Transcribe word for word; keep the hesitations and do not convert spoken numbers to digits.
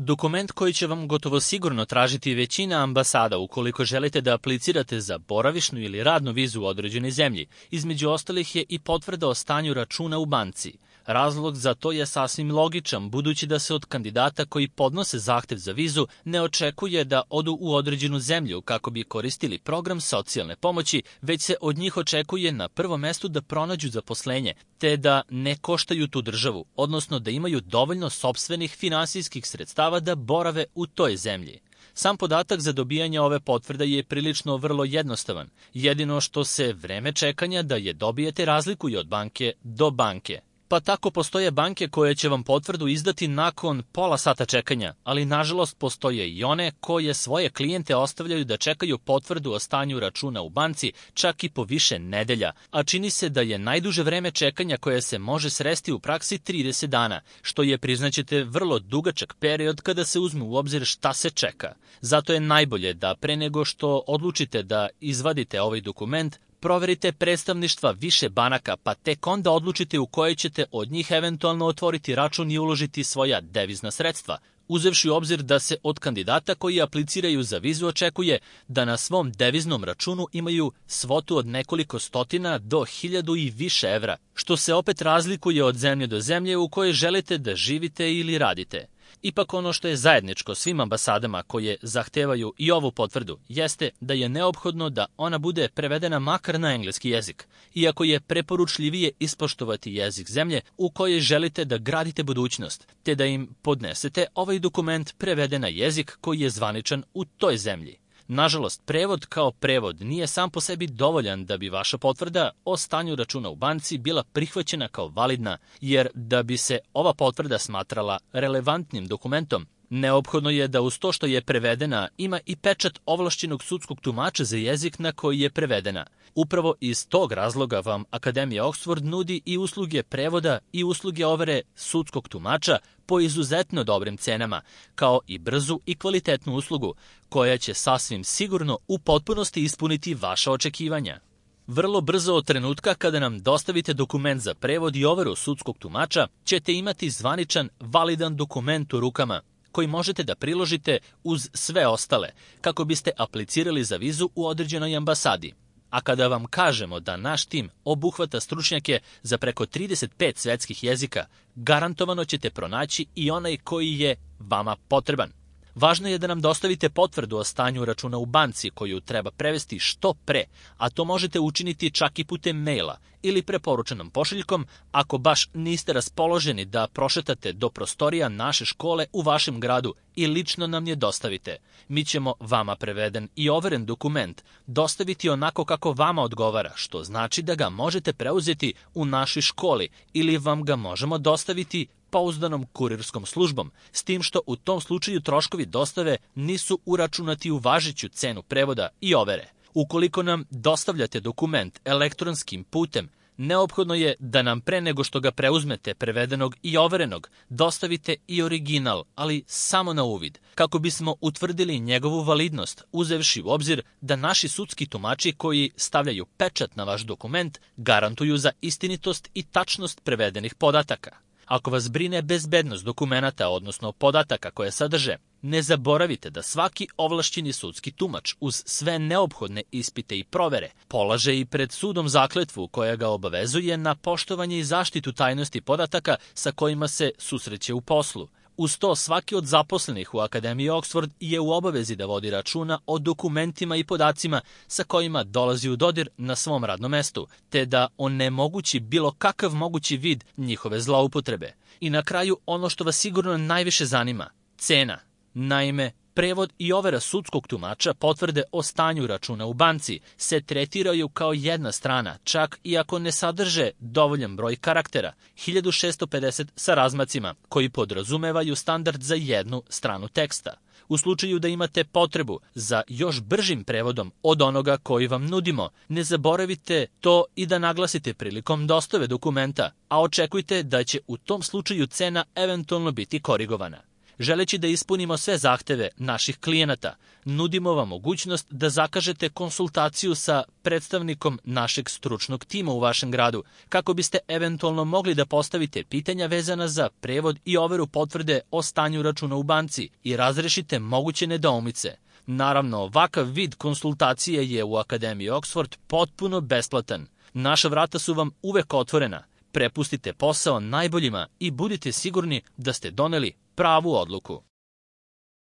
Dokument koji će vam gotovo sigurno tražiti većina ambasada ukoliko želite da aplicirate za boravišnu ili radnu vizu u određenoj zemlji. Između ostalih je i potvrda o stanju računa u banci. Razlog za to je sasvim logičan, budući da se od kandidata koji podnose zahtev za vizu ne očekuje da odu u određenu zemlju kako bi koristili program socijalne pomoći, već se od njih očekuje na prvom mestu da pronađu zaposlenje, te da ne koštaju tu državu, odnosno da imaju dovoljno sopstvenih finansijskih sredstava da borave u toj zemlji. Sam podatak za dobijanje ove potvrde je prilično vrlo jednostavan. Jedino što se vreme čekanja da je dobijete razlikuje od banke do banke. Pa tako postoje banke koje će vam potvrdu izdati nakon pola sata čekanja, ali nažalost postoje i one koje svoje klijente ostavljaju da čekaju potvrdu o stanju računa u banci čak i po više nedelja, a čini se da je najduže vreme čekanja koje se može sresti u praksi trideset dana, što je, priznaćete, vrlo dugačak period kada se uzme u obzir šta se čeka. Zato je najbolje da pre nego što odlučite da izvadite ovaj dokument, proverite predstavništva više banaka, pa tek onda odlučite u kojoj ćete od njih eventualno otvoriti račun i uložiti svoja devizna sredstva, uzevši u obzir da se od kandidata koji apliciraju za vizu očekuje da na svom deviznom računu imaju svotu od nekoliko stotina do hiljadu i više evra, što se opet razlikuje od zemlje do zemlje u kojoj želite da živite ili radite. Ipak ono što je zajedničko svim ambasadama koje zahtevaju i ovu potvrdu jeste da je neophodno da ona bude prevedena makar na engleski jezik, iako je preporučljivije ispoštovati jezik zemlje u kojoj želite da gradite budućnost, te da im podnesete ovaj dokument preveden na jezik koji je zvaničan u toj zemlji. Nažalost, prevod kao prevod nije sam po sebi dovoljan da bi vaša potvrda o stanju računa u banci bila prihvaćena kao validna, jer da bi se ova potvrda smatrala relevantnim dokumentom, neophodno je da uz to što je prevedena ima i pečat ovlašćenog sudskog tumača za jezik na koji je prevedena. Upravo iz tog razloga vam Akademija Oxford nudi i usluge prevoda i usluge overe sudskog tumača po izuzetno dobrim cenama, kao i brzu i kvalitetnu uslugu, koja će sasvim sigurno u potpunosti ispuniti vaša očekivanja. Vrlo brzo od trenutka kada nam dostavite dokument za prevod i overu sudskog tumača, ćete imati zvaničan, validan dokument u rukama, koji možete da priložite uz sve ostale, kako biste aplicirali za vizu u određenoj ambasadi. A kada vam kažemo da naš tim obuhvata stručnjake za preko trideset pet svetskih jezika, garantovano ćete pronaći i onaj koji je vama potreban. Važno je da nam dostavite potvrdu o stanju računa u banci koju treba prevesti što pre, a to možete učiniti čak i putem maila ili preporučenom pošiljkom ako baš niste raspoloženi da prošetate do prostorija naše škole u vašem gradu i lično nam je dostavite. Mi ćemo vama preveden i overen dokument dostaviti onako kako vama odgovara, što znači da ga možete preuzeti u našoj školi ili vam ga možemo dostaviti pouzdanom kurirskom službom, s tim što u tom slučaju troškovi dostave nisu uračunati u važeću cenu prevoda i overe. Ukoliko nam dostavljate dokument elektronskim putem, neophodno je da nam pre nego što ga preuzmete prevedenog i overenog, dostavite i original, ali samo na uvid, kako bismo utvrdili njegovu validnost, uzevši u obzir da naši sudski tumači koji stavljaju pečat na vaš dokument garantuju za istinitost i tačnost prevedenih podataka. Ako vas brine bezbednost dokumenata, odnosno podataka koje sadrže, ne zaboravite da svaki ovlašćeni sudski tumač uz sve neophodne ispite i provere polaže i pred sudom zakletvu koja ga obavezuje na poštovanje i zaštitu tajnosti podataka sa kojima se susreće u poslu. Uz to, svaki od zaposlenih u Akademiji Oxford je u obavezi da vodi računa o dokumentima i podacima sa kojima dolazi u dodir na svom radnom mestu, te da onemogući bilo kakav mogući vid njihove zloupotrebe. I na kraju, ono što vas sigurno najviše zanima, cena. Naime, prevod i overa sudskog tumača potvrde o stanju računa u banci se tretiraju kao jedna strana, čak i ako ne sadrže dovoljan broj karaktera, hiljadu šessto pedeset sa razmacima, koji podrazumevaju standard za jednu stranu teksta. U slučaju da imate potrebu za još bržim prevodom od onoga koji vam nudimo, ne zaboravite to i da naglasite prilikom dostave dokumenta, a očekujte da će u tom slučaju cena eventualno biti korigovana. Želeći da ispunimo sve zahteve naših klijenata, nudimo vam mogućnost da zakažete konsultaciju sa predstavnikom našeg stručnog tima u vašem gradu, kako biste eventualno mogli da postavite pitanja vezana za prevod i overu potvrde o stanju računa u banci i razrešite moguće nedoumice. Naravno, ovakav vid konsultacije je u Akademiji Oxford potpuno besplatan. Naša vrata su vam uvek otvorena. Prepustite posao najboljima i budite sigurni da ste doneli pravu odluku.